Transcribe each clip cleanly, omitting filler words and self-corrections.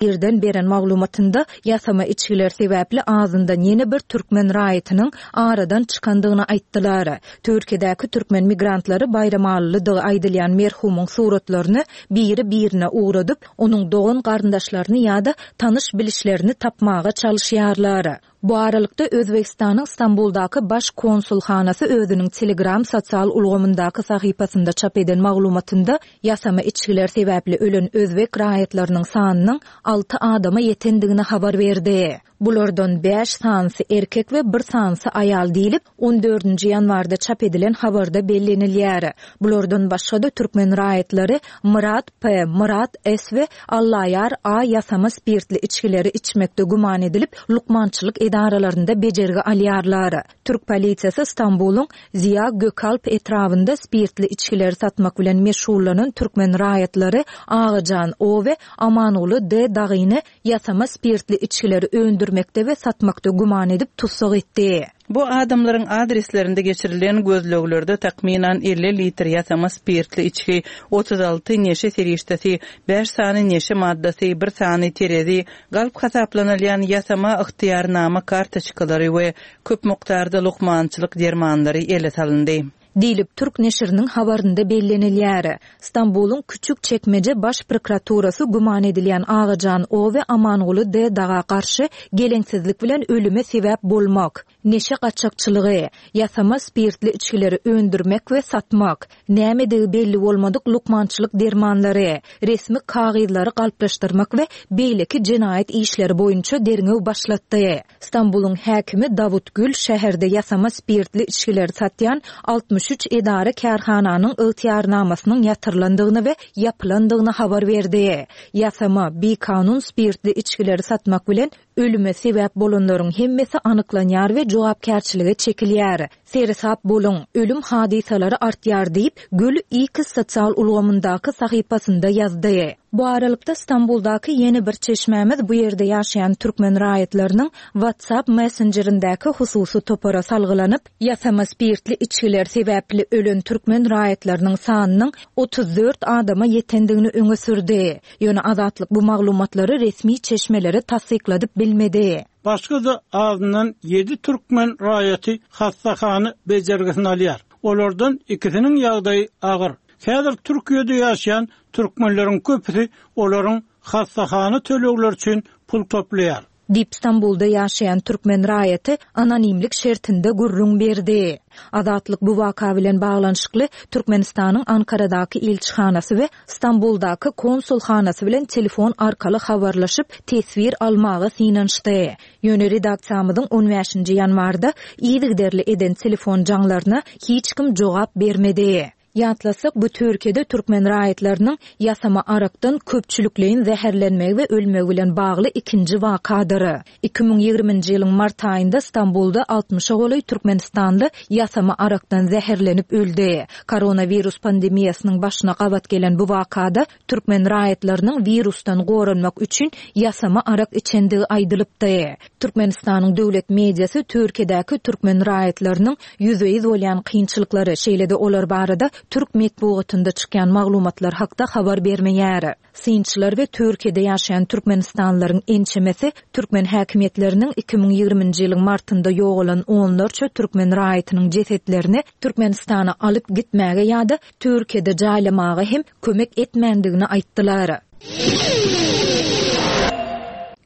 Irden beren maglumatynda ýasama içgiler sebäpli azyndan ýene bir türkmen raýatynyň aradan çykandygyny aýtdylar. Türkiýedäki türkmen migrantlary baýramalylydygy aýdylýan merhumyň suratlaryny biri-birine ugradyp, onuň dogan-garyndaşlaryny ýa-da tanyş-bilişlerini tapmaga çalyşýarlar. Bu aralykda, Özbegistanyň Stambuldaky Baş konsulhanasy özüniň Telegram sosial ulgamyndaky sahypasynda çap eden maglumatynda ýasama içgiler sebäpli ölen özbek raýatlarynyň sanynyň alty adama ýetendigini habar berdi. Bulardan bäş sanysy erkek we bir sanysy aýal diýlip, on dördünji ýanwarda çap edilen habarda bellenilýär. Bulardan başga-da türkmen raýatlary Myrat P, Myrat S we Allaýar A ýasama spirtli içgileri içmekde güman edilip, lukmançylyk edaralarynda bejergi alýarlar. Türk polisiýasy Stambulyň Ziýa Gökalp etrabynda spirtli içgileri satmak bilen meşgullanan türkmen raýatlary Agajan O we Amanguly D dagyny ýasama spirtli içgileri öndürmekde we satmakda güman edip tussag etdi. Bu adamlaryň adreslerinde geçirilen gözleglerde takmynan 50 litr ýasama spirtli içgi, 36 neşe serişdesi, bäş sany neşe maddasy, bir sany terezi, galp hasaplanylýan ýasama ygtyýarnama kartoçkalary we köp mukdarda lukmançylyk dermanlary ele salyndy. Diýlip, türk neşiriniň habarynda bellenilýär. Stambulyň Küçükçekmeje baş prokuraturasy güman edilýän Agajan O. we Amanguly D. Daga garşy geleňsizlik bilen ölüme sebäp bolmak, neşe gaçakçylygy, ýasama spirtli içgileri öndürmek we satmak, nämedigi belli bolmadyk lukmançylyk dermanlary, resmi kagyzlary galplaşdyrmak we beýleki jenaýat işleri boýunça derňew başlatdy. Stambulyň häkimi Dawut Gül şäherde ýasama spirtli içgileri satýan 63 edara-kärhananyň ygtyýarnamasynyň ýatyrylandygyny we ýapylandygyny habar berdi. Ýasama, bikanun spirtli içgileri satmak bilen ölüme sebäp bolanlaryň hemmesi anyklanýar we jogapkärçilige çekilýär. Seresap boluň, ölüm hadysalary artýar diýip, Gül X sosial ulgamyndaky sahypasynda ýazdy. Bu aralykda, Stambuldaky ýene bir çeşmämiz bu ýerde ýaşaýan türkmen raýatlarynyň WhatsApp messenjerindäki hususy topara salgylanyp, ýasama spirtli içgiler sebäpli ölen türkmen raýatlarynyň sanynyň 34 adama ýetendigini öňe sürdi. Ýöne Azatlyk bu maglumatlary resmi çeşmelere tassykladyp bilmedi. Başga-da azyndan ýedi türkmen raýaty hassahana bejergisini alýar. Olardan ikisiniň ýagdaýy agyr. Häzir Türkiýede ýaşaýan türkmenleriň köpüsi olaryň hassahana tölegleri üçin pul toplaýar. Diýip, Stambulda ýaşaýan türkmen raýaty anonimlik şertinde gürrüň berdi. Azatlyk bu waka bilen baglanyşykly Türkmenistanyň Ankaradaky ilçihanasy we Stambuldaky konsulhanasy bilen telefon arkaly habarlaşyp, teswir almaga synanyşdy. Ýöne redaksiýamyzyň on bäşinji ýanwarda yzygiderli eden telefon jaňlaryna hiç kim jogap bermedi. Ýatlasak, bu Türkiýede türkmen raýatlarynyň ýasama arakdan köpçülikleýin zäherlenmegi we ölmegi bilen bagly ikinji wakadyr. 2020-nji ýylyň mart aýynda Stambulda altmyşa golaý türkmenistanly ýasama arakdan zäherlenip öldi. Koronawirus pandemiýasynyň başyna gabat gelen bu wakada türkmen raýatlarynyň wirusdan goranmak üçin ýasama arak içendigi aýdylypdy. Türkmenistanyň döwlet mediasy Türkiýedäki türkmen raýatlarynyň ýüzbe-ýüz bolýan kynçylyklary, şeýle-de olar barada türk metbugatynda çykýan maglumatlar hakda habar bermeýär. Synçylar we Türkiýede ýaşaýan türkmenistanlylaryň ençemesi türkmen häkimiýetleriniň 2020-nji ýylyň martynda ýogalan onlarça türkmen raýatynyň jesetlerini Türkmenistana alyp gitmäge ýa-da Türkiýede jaýlamaga hem kömek etmändigini aýtdylar.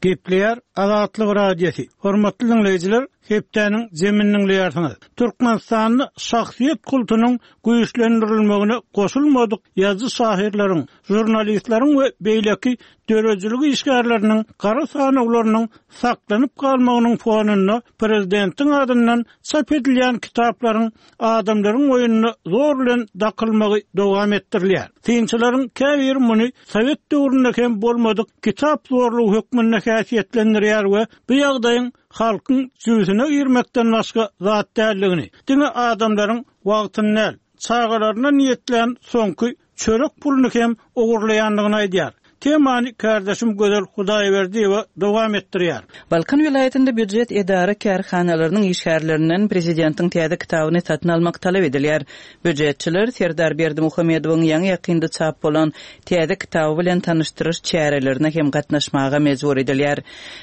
Gepleýär Azatlyk Radiosy. Hormatly diňleýjiler, hepdäniň jemini diňleýärsiňiz. Türkmenistanda şahsyýet kultunyň güýçlendirilmegine goşulmadyk ýazyjy-şahyrlaryň, žurnalistleriň we beýleki döredijilik işgärleriniň gara sanawlarynyň saklanyp galmagynyň fonunda prezidentiň adyndan çap edilýän kitaplaryň adamlaryň boýnuna zor bilen dakylmagy dowam etdirilýär. Synçylaryň käbiri muny sowet döwründe hem bolmadyk kitap zorlugy hökmünde häsiýetlendirýär we bu ýagdaýyň halkyň jübüsine girmekden başga zat däldigini, diňe adamlaryň wagtyny däl, çagalaryna niýetlän soňky çörek puluny hem ogurlaýandygyny aýdýar. Temany kärdeşim Gözel Hudaýberdiýewa dowam etdirýär. Balkan welaýatynda býujet edara-kärhanalarynyň işgärlerinden prezidentiň täze kitabyny satyn almak talap edilýär. Býujetçiler Serdar Berdimuhamedowyň ýaňy-ýakynda çap bolan täze kitaby bilen tanyşdyryş çärelerine hem gatnaşmaga mejbur edilýär.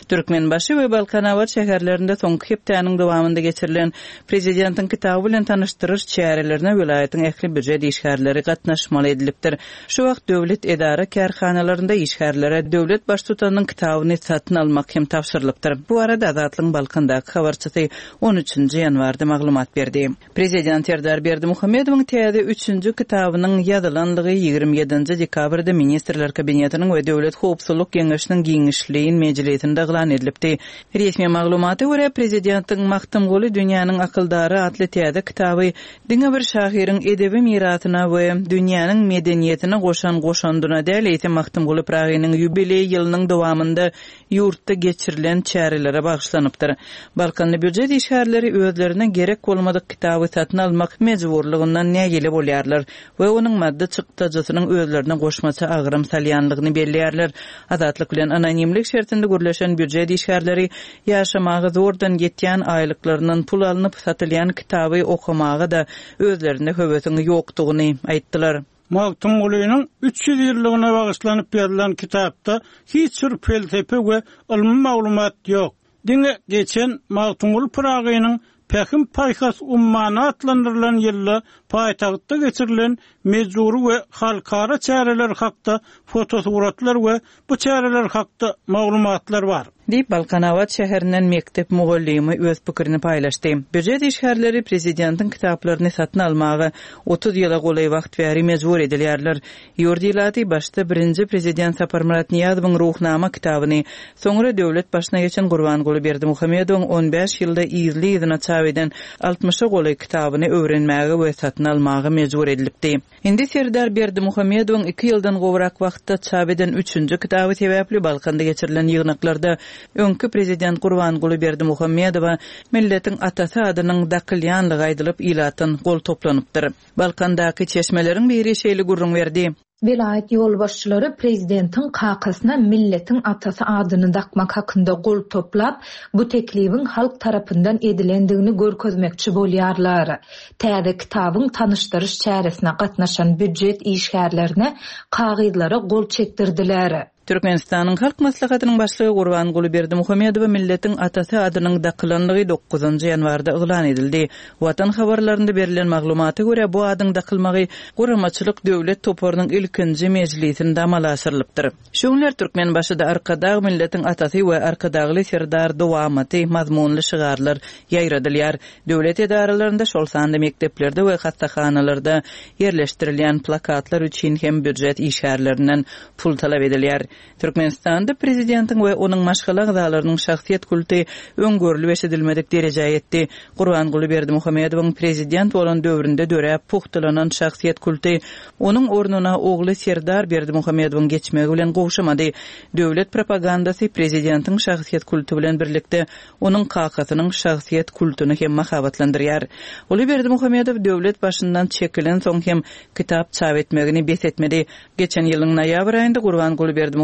Türkmenbaşy we Balkanabat şäherlerinde soňky hepdäniň dowamynda geçirilen prezidentiň kitaby bilen tanyşdyryş çärelerine welaýatyň ähli býujet işgärleri gatnaşmaly edilipdir. Şu wagt döwlet edara-kärhanalarynda işgärlere döwlet Baştutanynyň kitabyny satyn almak hem tabşyrylypdyr. Bu barada Azatlygyň Balkandaky habarçysy on üçünji ýanwarda maglumat berdi. Prezident Serdar Berdimuhamedowyň täze üçünji kitabynyň ýazylanlygy 27-nji dekabrda Ministrler Kabinetiniň we Döwlet howpsuzlyk geňeşiniň giňişleýin mejlisinde yglan edilipdi. Resmi maglumata görä, prezidentiň Magtymguly dünýäniň akyldary atly täze kitaby diňe bir şahyryň edebi mirasyna we dünýäniň medeniýetine goşan goşandyna däl, eýsem Magtymguly Pyragynyň ýubileý ýylynyň dowamynda ýurtda geçirilen çärelere bagyşlanypdyr. Balkanly býujet işgärleri özlerine gerek bolmadyk kitaby satyn almak mejburlygyndan nägile bolýarlar we onuň maddy çykdajysynyň özlerine goşmaça agram salýanlygyny belleýärler. Azatlyk bilen anonimlik şertinde gürleşen býujet işgärleri ýaşamaga zordan ýetýän aýlyklaryndan pul alnyp satylýan kitaby okamaga-da özlerinde höwesiň ýokdugyny aýtdylar. Magtymgulynyň 300 ýyllygyna bagyşlanyp ýazylan kitapda hiç bir pelsepe we ylmy maglumat ýok. Diňe geçen Magtymguly Pyragynyň Pähim-paýhas ummany atlandyrylan ýylda paýtagtda geçirilen mejbury we halkara çäreler hakda fotosuratlar we bu çäreler hakda maglumatlar bar. Diýip, Balkanabat şäherinden mekdep mugallymy öz pikirini paýlaşdy. Býujet işgärleri prezidentiň kitaplaryny satyn almaga 30 ýyla golaý wagt bäri mejbur edilýärler. Ýurt ilaty başda birinji prezident Saparmyrat Nyýazowyň Ruhnama kitabyny, soňra döwlet başyna geçen Gurbanguly Berdimuhamedowyň on bäş ýylda yzly-yzyna çap eden altmyşa golaý kitabyny öwrenmäge we satyn almaga mejbur edilipdi. Indi Serdar Berdimuhamedowyň iki ýyldan gowrak wagtda çap eden üçünji kitaby sebäpli Balkanda geçirilen ýygnaklarda öňki prezident Gurbanguly Berdimuhamedowa milletiň atasy adynyň dakylýanlygy aýdylyp, ilatdan gol toplanypdyr. Balkandaky çeşmeleriň biri şeýle gürrüň berdi. Welaýat ýolbaşçylary prezidentiň kakasyna milletiň atasy adyny dakmak hakynda gol toplap, bu teklibiň halk tarapyndan edilendigini görkezmekçi bolýarlar. Täze kitabyň tanyşdyryş çäresine gatnaşan býujet işgärlerine kagyzlara gol çekdirdiler. Türkmenistanyň Halk Maslahatynyň Başlygy Gurbanguly Berdimuhamedowa milletiň atasy adynyň dakylanlygy dokuzynjy ýanwarda yglan edildi. Watan habarlarynda berlen maglumata görä, bu adyň dakylmagy Guramaçylyk döwlet toparynyň ilkinji mejlisinde amala aşyrylypdyr. Şu günler Türkmenbaşyda Arkadag milletiň atasy we Arkadagly Serdar dowamaty mazmunly şygarlar ýaýradylýar. Döwlet edaralarynda, şol sanda mekdeplerde we hassahanalarda ýerleşdirilýän plakatlar üçin hem býujet işgärlerinden pul talap edilýär. Türkmenistanda prezidentiň we onuň maşgala agzalarynyň şahsyýet kulty öň görlüp-eşidilmedik derejä ýetdi. Gurbanguly Berdimuhamedowyň prezident bolan döwründe döräp pugtalanan şahsyýet kulty onuň ornuna ogly Serdar Berdimuhamedowyň geçmegi bilen gowşamady. Döwlet propagandasy prezidentiň şahsyýet kulty bilen birlikde onuň kakasynyň şahsyýet kultuny hem mahabatlandyrýar. Uly Berdimuhamedow döwlet başyndan çekilensoň hem kitap çap etmegini bes etmedi. Geçen ýylyň noýabr aýynda Gurbanguly Berdimuhamedowyň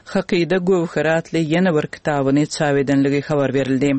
Hakyda göwheri atly ýene bir kitabyny çap edenligi habar berildi.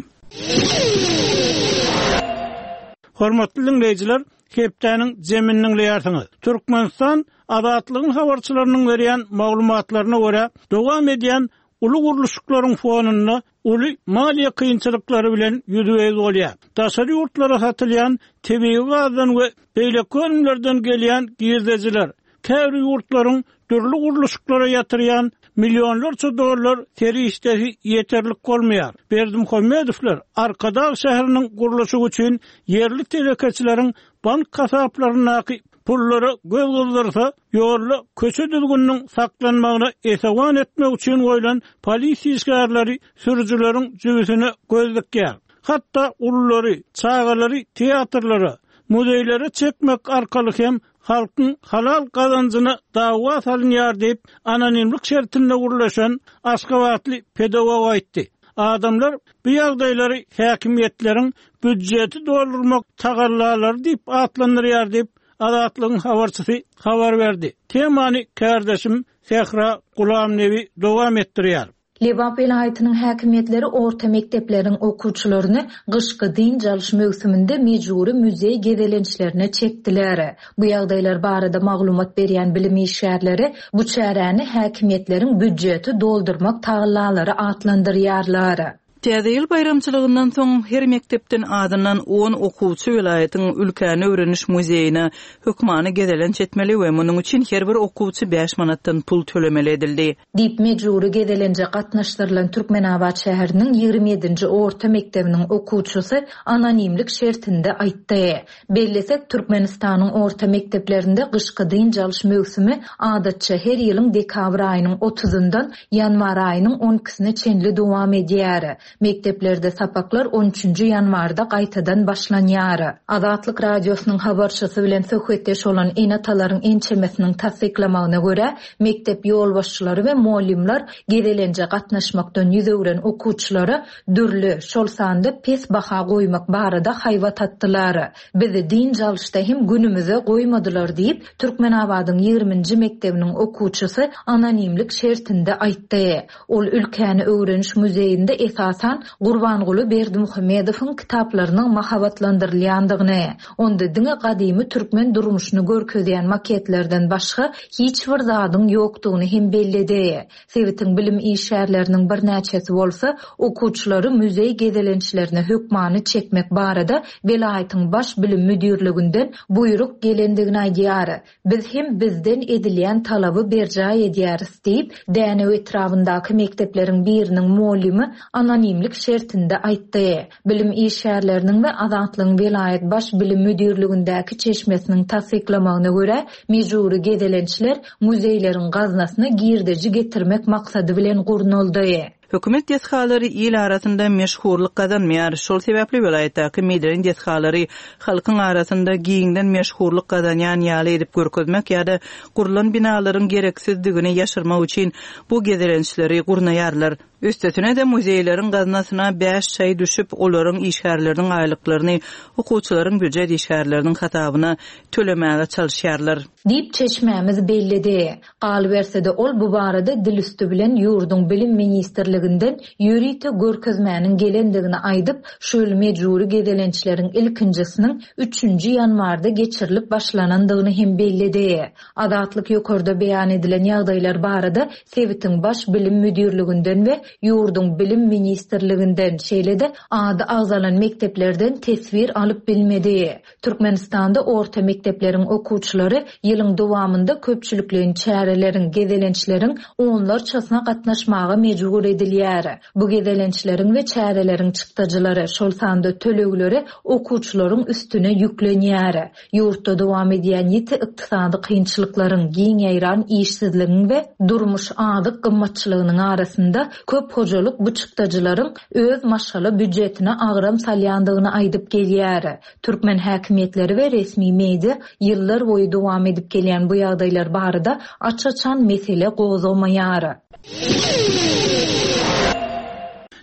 Hormatly diňleýjiler, hepdäniň jemini diňleýärsiňiz. Türkmenistan Azatlygyň habarçylarynyň berýän maglumatlaryna görä, dowam edýän uly gurluşyklaryň fonunda uly maliýe kynçylyklary bilen ýüzbe-ýüz bolýar. Daşary ýurtlara satylýan tebigy gazdan we beýleki önümlerden gelýän girdejiler, käbir ýurtlaryň dürli gurluşyklara ýatyrýan millionlarça dollar serişdesi ýeterlik bolmaýar. Berdimuhamedowlar Arkadag şäheriniň gurluşygy üçin ýerli telekeçileriň bank hasaplaryndaky pullara göz gyzdyrsa, ýolda köçe düzgüniniň saklanmagyna esewan etmek üçin goýlan polisiýa işgärleri sürüjileriň jübüsine göz dikýär. Hatda ululary, çagalary teatrlara, muzeýlere çekmek arkaly hem halkyň halal gazanjyna dawa salynýar diýip, anonimlik şertinde gürleşen aşgabatly pedagog aýtdy. Adamlar bu ýagdaýlary häkimiýetleriň býujeti doldurmak tagallalary diýip atlandyrýar diýip, Azatlygyň habarçysy habar berdi. Temany kärdeşim. Sähra Gulamnebi dowam etdirýär. Lebap welaýatynyň häkimiýetleri orta mekdepleriň okuwçylaryny gyşky dynç alyş möwsüminde mejbury muzeý gezelençlerine çekdiler. Bu ýagdaýlar barada maglumat berýän bilim işgärleri bu çäräni häkimiýetleriň býujeti doldurmak tagallalary atlandyrýarlar. Täze ýyl baýramçylygyndan soň her mekdepden azyndan on okuwçy welaýatyň Ülkäni öwreniş muzeýine hökmany gezelenç etmeli we munuň üçin her bir okuwçy bäş manatdan pul tölemeli edildi. Diýip, mejbury gezelenje gatnaşdyrylan Türkmenabat şäheriniň 27-nji orta mekdebiniň okuwçysy anonimlik şertinde aýtdy. Bellesek, Türkmenistanyň orta mekdeplerinde gyşky dynç alyş möwsümi adatça her ýylyň dekabr aýynyň otuzyndan ýanwar aýynyň on ikisine çenli dowam edýär. Mekdeplerde sapaklar on üçünji ýanwarda gaýtadan başlanýar. Azatlyk Radiosynyň habarçysy bilen söhbetdeş bolan ene-atalaryň ençemesiniň tassyklamagyna görä, mekdep ýolbaşçylary we mugallymlar gezelenje gatnaşmakdan ýüz öwren okuwçylara dürli, şol sanda pes baha goýmak barada haýbat atdylar. Bizi dynç alyşda hem günümize goýmadylar diýip, Türkmenabadyň ýigriminji mekdebiniň okuwçysy anonimlik şertinde aýtdy. Ol ülkäni öwreniş muzeýinde esasan Gurbanguly Berdimuhamedowyň kitaplarynyň mahabatlandyrylýandygyny, onda diňe gadymy türkmen durmuşyny görkezýän maketlerden başga hiç bir zadyň ýokdugyny hem belledi. Sebitiň bilim işgärleriniň birnäçesi bolsa, okuwçylary muzeý gezelençlerine hökmany çekmek barada welaýatyň Baş bilim müdirliginden buýruk gelendigini aýdýar. Biz hem bizden edilýän talaby berjaý edýäris diýip, Dänew etrabyndaky mekdepleriň biriniň mugallymy anonimlik şertinde aýtdy. Bilim işgärleriniň we Azatlygyň welaýat Baş bilim müdirligindäki çeşmesiniň tassyklamagyna görä, mejbury gezelençler muzeýleriň gaznasyna girdeji getirmek maksady bilen gurnaldy. Hökümet desgalary il arasynda meşhurlyk gazanmaýar. Şol sebäpli welaýatdaky medeni desgalary halkyň arasynda giňden meşhurlyk gazanýan ýaly edip görkezmek ýa-da gurlan binalaryň gereksizdigini ýaşyrmak üçin bu gezelençleri gurnaýarlar. Üstesine-de muzeýleriň gaznasyna bäş çaý düşüp, olaryň işgärleriniň aýlyklaryny okuwçylaryň býujet işgärleriniň hasabyna tölemäge çalyşýarlar. Diýip, çeşmämiz belledi. Galyberse-de, ol bu barada dil üsti bilen ýurduň Bilim ministrliginden ýörite görkezmäniň gelendigini aýdyp, şu ýyl mejbury gezelençleriň ilkinjisiniň üçünji ýanwarda geçirilip başlanandygyny hem belledi. Azatlyk ýokarda beýan edilen ýagdaýlar barada sebitiň Baş bilim müdirliginden we ýurduň Bilim ministrliginden, şeýle-de ady agzalan mekdeplerden teswir alyp bilmedi. Türkmenistanda orta mekdepleriň okuwçylary ýylyň dowamynda köpçülikleýin çäreleriň, gezelençleriň onlarçasyna gatnaşmaga mejbur edilýär. Bu gezelençleriň we çäreleriň çykdajylary, şol sanda tölegleri okuwçylaryň üstüne ýüklenýär. Ýurtda dowam edýän ýiti ykdysady kynçylyklaryň, giň ýaýran işsizligiň we durmuş azyk gymmatçylygynyň arasynda köp hojalyk bu çykdajylaryň öz maşgala býujetine agram salýandygyny aýdyp gelýär. Türkmen häkimiýetleri we resmi media ýyllar boýy dowam edip gelýän bu ýagdaýlar barada aç-açan mesele gozgamaýar.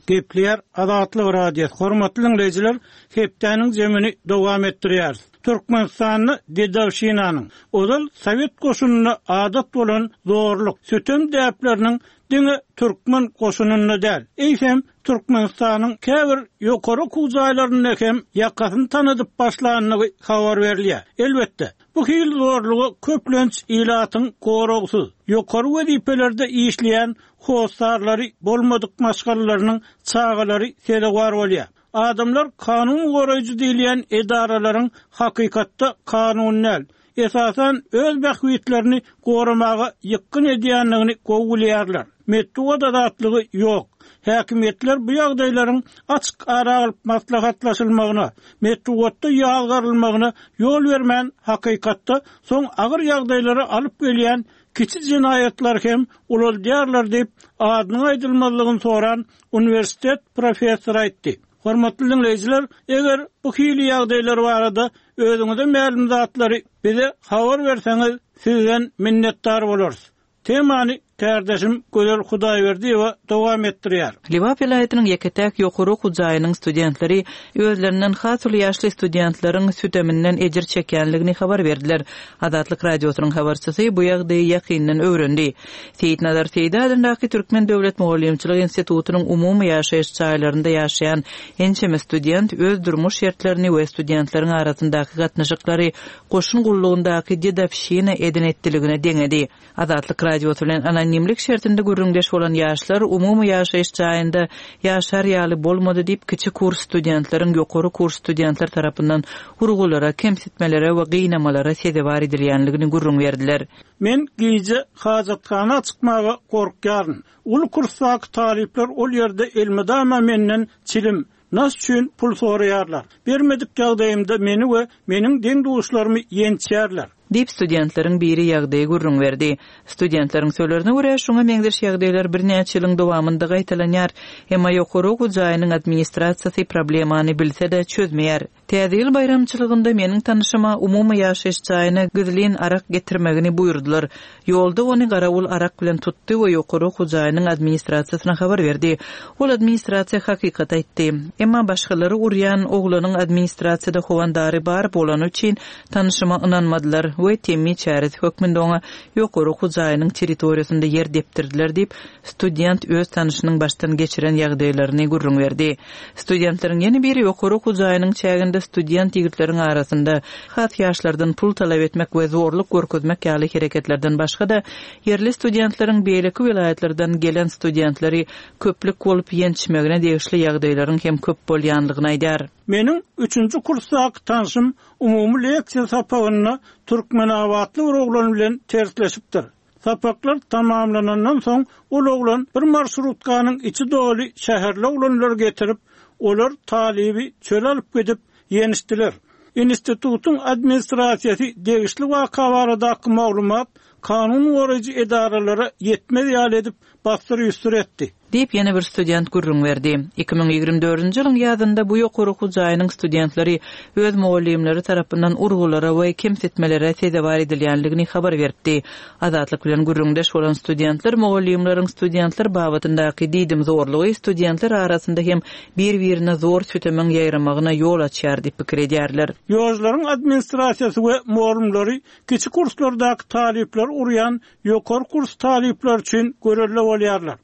Gepleýär Azatlyk Radiosy, Hormatly diňleýjiler, hepdäniň jemini dowam etdirýäris. Türkmenistanda dedowşinanyň, ozal sowet goşunynda adat bolan zorluk, sütem däpleriniň diňe türkmen goşunynda däl, eýsem, Türkmenistanyň käbir ýokary okuw jaýlarynda hem ýakasyny tanadyp başlandygy habar berilýär. Elbetde, bu hili zorluga köplenç ilatyň goragsyz, ýokary wezipelerde işleýän hossarlary bolmadyk maşgalalarynyň çagalary sezewar bolýar. Adamlar kanun goraýjy diýilýän edaralaryň hakykatda kanun däl, esasan öz bähbitlerini goramaga ýykgyn edýändigini gowy bilýärler. Metbugat azatlygy ýok. Häkimiýetler bu ýagdaýlaryň açyk ara alyp maslahatlaşylmagyna, metbugatda ýazgarylmagyna ýol bermän hakykatda soň agyr ýagdaýlara alyp gelýän kiçi jenaýatlary hem ulaldýarlar diýip, adynyň aýdylmazlygyny soran uniwersitet professory aýtdy. Hormatly diňleýjiler, eger bu hili ýagdaýlar barada özüňize mälim zatlary bize habar berseňiz, sizden minnetdar bolarys. Temany kärdeşim Gözel Hudaýberdiýewa dowam etdirýär. Lebap welaýatynyň ýeke-täk ýokary okuw jaýynyň studentleri özlerinden has uly ýaşly studentleriň süteminden ejir çekýänligini habar berdiler. Azatlyk Radiosynyň habarçysy bu ýagdaýy ýakyndan öwrendi. Seýitnazar Seýdi adyndaky Türkmen döwlet mugallymçylyk institutynyň umumy ýaşaýyş jaýlarynda ýaşaýan ençeme student öz durmuş şertlerini we studentleriň arasyndaky gatnaşyklary goşun gullugyndaky dedowşina eden-etdiligine deňedi. Azatlyk Radiosy bilen anonimlik şertinde gürrüňdeş bolan ýaşlar umumy ýaşaýyş jaýynda ýaşar ýaly bolmady diýip, kiçi kurs studentleriň ýokary kurs studentler tarapyndan urgulara, kemsitmelere we gynamalara sezewar edilýänligini gürrüň berdiler. Men gije hajathana çykmaga gorkýaryn. Uly kursdaky talyplar ol ýerde elmydama menden çilim, nas üçin pul soraýarlar. Bermedik ýagdaýymda meni we meniň deň-duşlarymy ýençýärler. Diýip, studentleriň biri ýagdaýy gürrüň berdi. Studentleriň sözlerine görä, şuňa meňzeş ýagdaýlar birnäçe ýylyň dowamynda gaýtalanýar. Emma ýokary okuw jaýynyň administrasiýasy problemany bilse-de, çözmeýär. Täze ýyl baýramçylygynda meniň tanyşyma umumy ýaşaýyş jaýyna gizlin arak getirmegini buýurdylar. Ýolda ony garawul arak bilen tutdy we ýokary okuw jaýynyň administrasiýasyna habar berdi. Ol administrasiýa hakykaty aýtdy. Emma başgalary urýan oglanyň administrasiýada howandary bar bolany üçin tanyşyma ynanmadylar we temmi çäresi hökmünde oňa ýokary okuw jaýynyň territoriýasynda ýer depdirdiler diýip, student öz tanyşynyň başdan geçiren ýagdaýlaryny gürrüň berdi. Studentleriň ýene biri ýokary okuw jaýynyň çäginde student ýigitleriň arasynda has ýaşlardan pul talap etmek we zorluk görkezmek ýaly hereketlerden başga-da, ýerli studentleriň beýleki welaýatlardan gelen studentleri köplük bolup ýençmegine degişli ýagdaýlaryň hem köp bolýanlygyny aýdýar. Meniň üçünji kursdaky tanşym umumy leksiýa sapagynda türkmenabatly bir oglan bilen tersleşipdir. Sapaklar tamamlanandan soň, ol oglan bir marşrutkanyň içi doly şäherli oglanlary getirip, olar talyby çöle alyp gidip, ýençdiler. Institutyň administrasiýasy degişli waka baradaky maglumat kanun goraýjy edaralara ýetmez ýaly edip bassyr-üsdür etdi. Diýip, ýene bir student gürrüň berdi. 2024-nji ýylyň ýazynda bu ýokary okuw jaýynyň studentleri öz mugallymlary tarapyndan urgulara we kemsitmelere sezewar edilýändigini habar beripdi. Azatlyk bilen gürrüňdeş bolan studentler mugallymlaryň studentler babatyndaky diýdimzorlugy studentler arasynda hem bir-birine zor sütemiň ýaýramagyna ýol açýar diýip pikir edýärler. Ýožlaryň administrasiýasy we mugallymlary kiçi kurslardaky talyplary urýan Ýokary kurs talyplary üçin görelde bolýarlar.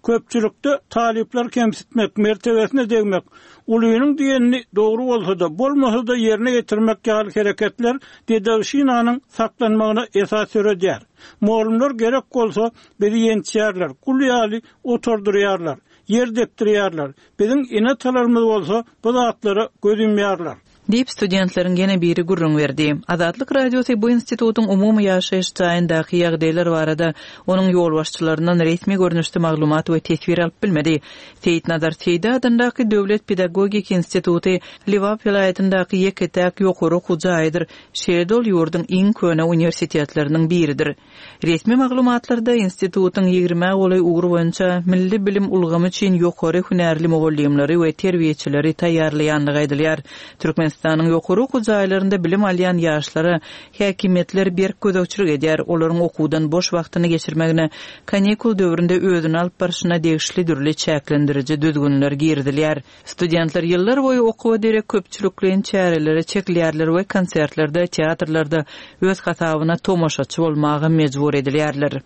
Köpçülikde talyplary kemsitmek, mertebesine degmek, ulynyň diýenini dogry bolsa-da, bolmasa-da ýerine ýetirmek ýaly hereketler dedowşinanyň saklanmagyna esas döredýär. Mugallymlar gerek bolsa, bizi ýençýärler, gul ýaly oturdyrýarlar, ýer depdirýärler. Biziň ene-atalarymyz bolsa bu zatlara göz ýumýarlar. Diýip, studentleriň ýene biri gürrüň berdi. Azatlyk Radiosy bu institutyň umumy ýaşaýyş jaýyndaky ýagdaýlar barada onuň ýolbaşçylaryndan resmi görnüşde maglumat we teswir alyp bilmedi. Seýitnazar Seýdi adyndaky döwlet pedagogik instituty Lebap welaýatyndaky ýeke-täk ýokary okuw jaýydyr, şeýle-de ol ýurduň iň köne uniwersitetleriniň biridir. Resmi maglumatlarda institutyň ýigrimä golaý ugur boýunça milli bilim ulgamy üçin ýokary hünärli mugallymlary we terbiýeçileri taýýarlaýandygy aýdylýar. Türkmenistanyň ýokary okuw jaýlarynda bilim alýan ýaşlara häkimiýetler berk gözegçilik edýär, olaryň okuwdan boş wagtyny geçirmegine, kanikul döwründe özüni alyp barşyna degişli dürli çäklendiriji düzgünler girizilýär. Studentler ýyllar boýy okuwa derek köpçülikleýin çärelere çekilýärler we konsertlerde, teatrlarda öz hasabyna tomaşaçy bolmaga mejbur edilýärler.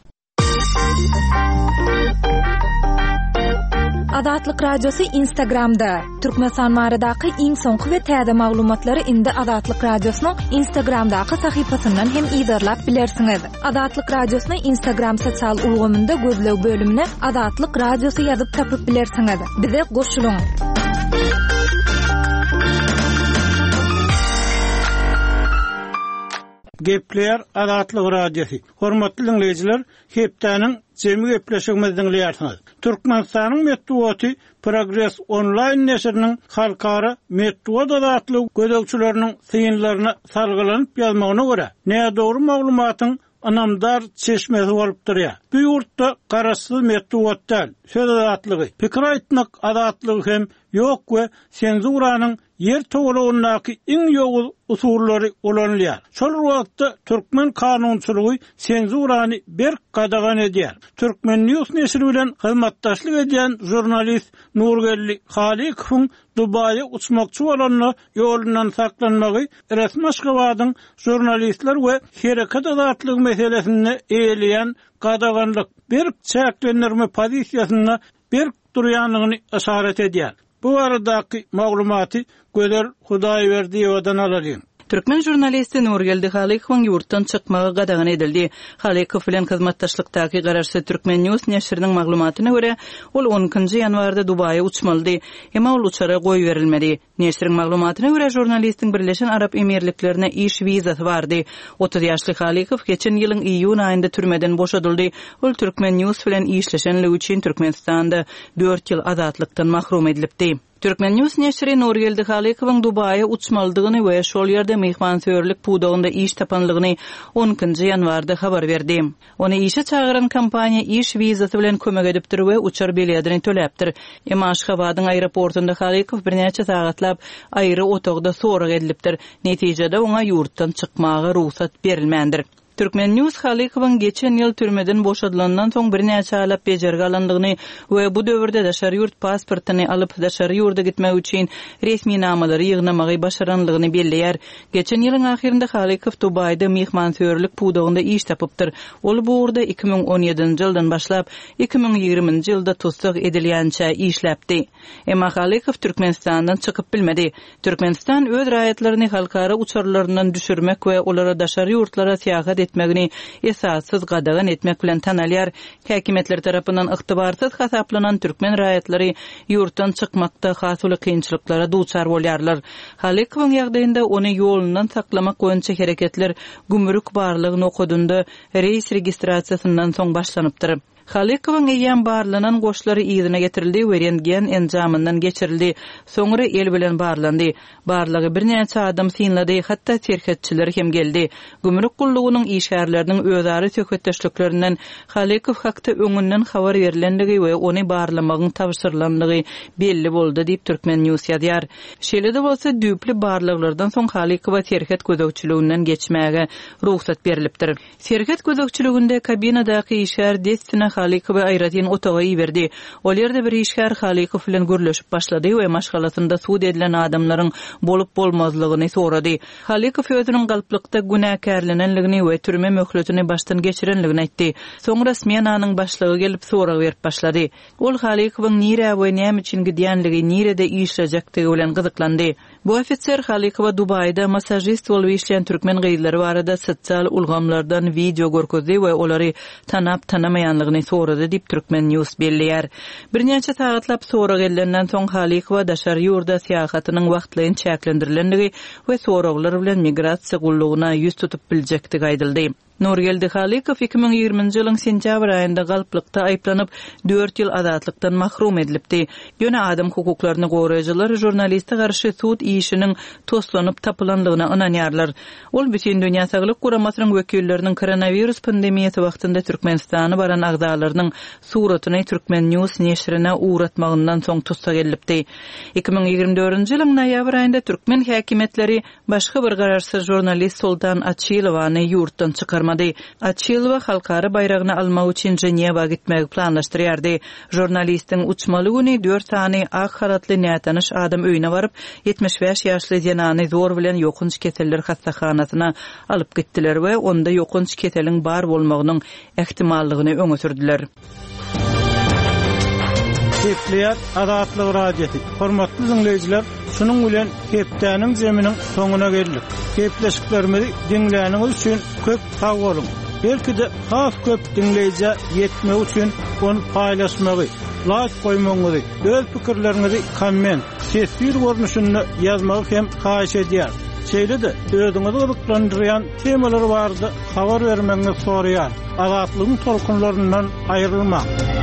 Azatlyk Radiosy Instagramda, Türkmenistan baradaky iň soňky we täze maglumatlary indi Azatlyk Radiosynyň Instagramdaky sahypasyndan hem yzarlap bilersiňiz. Azatlyk Radiosyny Instagram sosial ulgamynda gözleg bölümine Azatlyk Radiosy ýazyp tapyp bilersiňiz. Bize goşulyň! Gepleýär Azatlyk Radiosy. Hormatly diňleýjiler, hepdäniň jemi gepleşigimizi diňleýärsiňiz. Türkmenistanyň metbugaty Progres onlaýn neşiriniň halkara metbugat azatlygy gözegçileriniň synlaryna salgylanyp ýazmagyna görä, nädogry maglumatyň ynamdar çeşmesi bolup durýar. Bu ýurtda garaşsyz metbugat däl, söz azatlygy, pikir aýtmak azatlygy hem. ýok we senzuranyň Ýer togalagyndaky iň ýowuz usullary ulanylýar. Şol bir wagtda türkmen kanunçylygy senzurany berk gadagan edýär. Turkmen. News neşiri bilen hyzmatdaşlyk edýän žurnalist Nurgeldi Halykowyň Dubaýa uçmakçy bolanda ýolundan saklanmagy resmi Aşgabadyň žurnalistler we hereket azatlygy meselesinde eýeleýän gadaganlyk, berk çäklendirme pozisiýasynda berk durýandygyny yşarat edýär. Bu baradaky maglumaty Gözel Hudaýberdiýewadan alalyň. Türkmen žurnalisti Nurgeldi Halykowyň ýurtdan çykmagy gadagan edildi. Halykow bilen hyzmatdaşlykdaky garaşsyz Turkmen. News neşiriniň maglumatyna görä, ol on ikinji ýanwarda Dubaýa uçmalydy. Emma ol uçara goýberilmedi. Neşiriň maglumatyna görä, žurnalistiň Birleşen Arap Emirliklerine iş wizasy bardy. 30 ýaşly Halykow geçen ýylyň iýun aýynda türmeden boşadyldy. Ol Turkmen. News bilen işleşenligi üçin Türkmenistanda dört ýyl azatlykdan mahrum edilipdi. Turkmen. News neşiri Nurgeldi Halykowyň Dubaýa uçmalydygyny we şol ýerde myhmansöýerlik pudagynda iş tapanlygyny on ikinji ýanwarda habar berdi. Ony işe çagyran kompaniýa iş wizasy bilen kömek edipdir we uçar biledini töläpdir. Emma Aşgabadyň aeroportunda Halykow birnäçe sagatlap aýry otagda sorag edilipdir. Netijede oňa ýurtdan çykmaga rugsat berilmändir. Turkmen. News Halykowyň geçen ýyl türmeden boşadylandan soň birnäçe aýlap bejergi alandygyny we bu döwürde daşary ýurt pasportyny alyp, daşary ýurda gitmek üçin resminamalary ýygnamagy başaranlygyny belleýär. Geçen ýylyň ahyrynda Halykow Dubaýda myhmansöýerlik pudagynda iş tapypdyr. Ol bu ugurda 2017-nji ýyldan başlap, 2020-nji ýylda tussag edilýänçä işläpdi. Emma Halykow Türkmenistandan çykyp bilmedi. Türkmenistan öz raýatlaryny halkara uçarlaryndan düşürmek we olara daşary ýurtlara syýahat etmegini esassyz gadagan etmek bilen tanalýar. Häkimiýetler tarapyndan ygtybarsyz hasaplanan türkmen raýatlary ýurtdan çykmakda has uly kynçylyklara duçar bolýarlar. Halykowyň ýagdaýynda ony ýolundan saklamak boýunça hereketler gümrük barlag nokadynda reýs registrasiýasyndan soň başlanypdyr. Halykowyň eýýäm barlanan goşlary yzyna getirildi we rentgen enjamyndan geçirildi, soňra el bilen barlandy. Barlagy birnäçe adam synlady, hatda serhetçiler hem geldi. Gümrük gullugynyň işgärleriniň özara söhbetdeşliklerinden Halykow hakda öňünden habar berlendigi we ony barlamagyň tabşyrylandygy belli boldy diýip, Turkmen. News ýazýar. Şeýle-de bolsa, düýpli barlaglardan soň Halykowa serhet gözegçiliginden geçmäge rugsat berlipdir. Serhet gözegçiliginde kabinadaky işgär dessine Halykowy aýratyn otaga iberdi. Ol ýerde bir işgär Halykow bilen gürleşip başlady we maşgalasynda sud edilen adamlaryň bolup-bolmazlygyny sorady. Halykow özüniň galplykda günäkärlenenligini we türme möhletini başdan geçirenligini aýtdy. Soňra smenanyň başlygy gelip sorag berip başlady. Ol Halykowyň nirä we näme üçin gidýänligi, nirede işlejekdigi bilen gyzyklandy. Bu ofiser Halykowa Dubaýda massažist bolup işleýän türkmen gyzlary barada sosial ulgamlardan wideo görkezdi we olary tanap-tanamaýanlygyny sorady diýip, Turkmen. News belleýär. Birnäçe sagatlap sorag edilenden soň, Halykowa daşary ýurda syýahatynyň wagtlaýyn çäklendirilendigi we soraglar bilen migrasiýa gullugyna ýüz tutup biljekdigi aýdyldy. Nurgeldi Halykow 2020-nji ýylyň sentýabr aýynda galplykda aýyplanyp, dört ýyl azatlykdan mahrum edilipdi. Ýöne adam hukuklaryny goraýjylar žurnaliste garşy sud işiniň toslanyp tapylandygyna ynanýarlar. Ol Bütindünýä Saglyk Guramasynyň wekilleriniň koronawirus pandemiýasy wagtynda Türkmenistana baran agzalarynyň suratyny Turkmen. News neşirine ugratmagyndan soň tussag edilipdi. 2024-nji ýylyň noýabr aýynda türkmen häkimiýetleri Başga bir garaşsyz žurnalist Soltan Açilowany ýurtdan çykarmady. Açilowa halkara baýragyny almak üçin Ženewa gitmegi planlaşdyrýardy. Žurnalistiň uçmaly güni dört sany ak halatly nätanyş adam öýüne baryp, 75 ýaşly zenany zor bilen ýokanç keseller hassahanasyna alyp gitdiler we onda ýokanç keseliň bar bolmagynyň ähtimallygyny öňe sürdüler. Gepleýär Azatlyk Radiosy. Hormatly diňleýjiler, şunuň bilen hepdäniň zeminiň soňuna geldik. Gepleşiklerimizi diňläniňiz üçin köp sag boluň. Belki-de has köp diňleýjä ýetmegi üçin ony paýlaşmagy, laýk goýmagyňyzy, öz pikirleriňizi komment, teswir görnüşinde ýazmagy hem haýyş edýäris. Şeýle-de özüňizi gyzyklandyrýan temalar barada habar bermegiňizi soraýarys. Azatlygyň tolkunlaryndan aýrylmaň!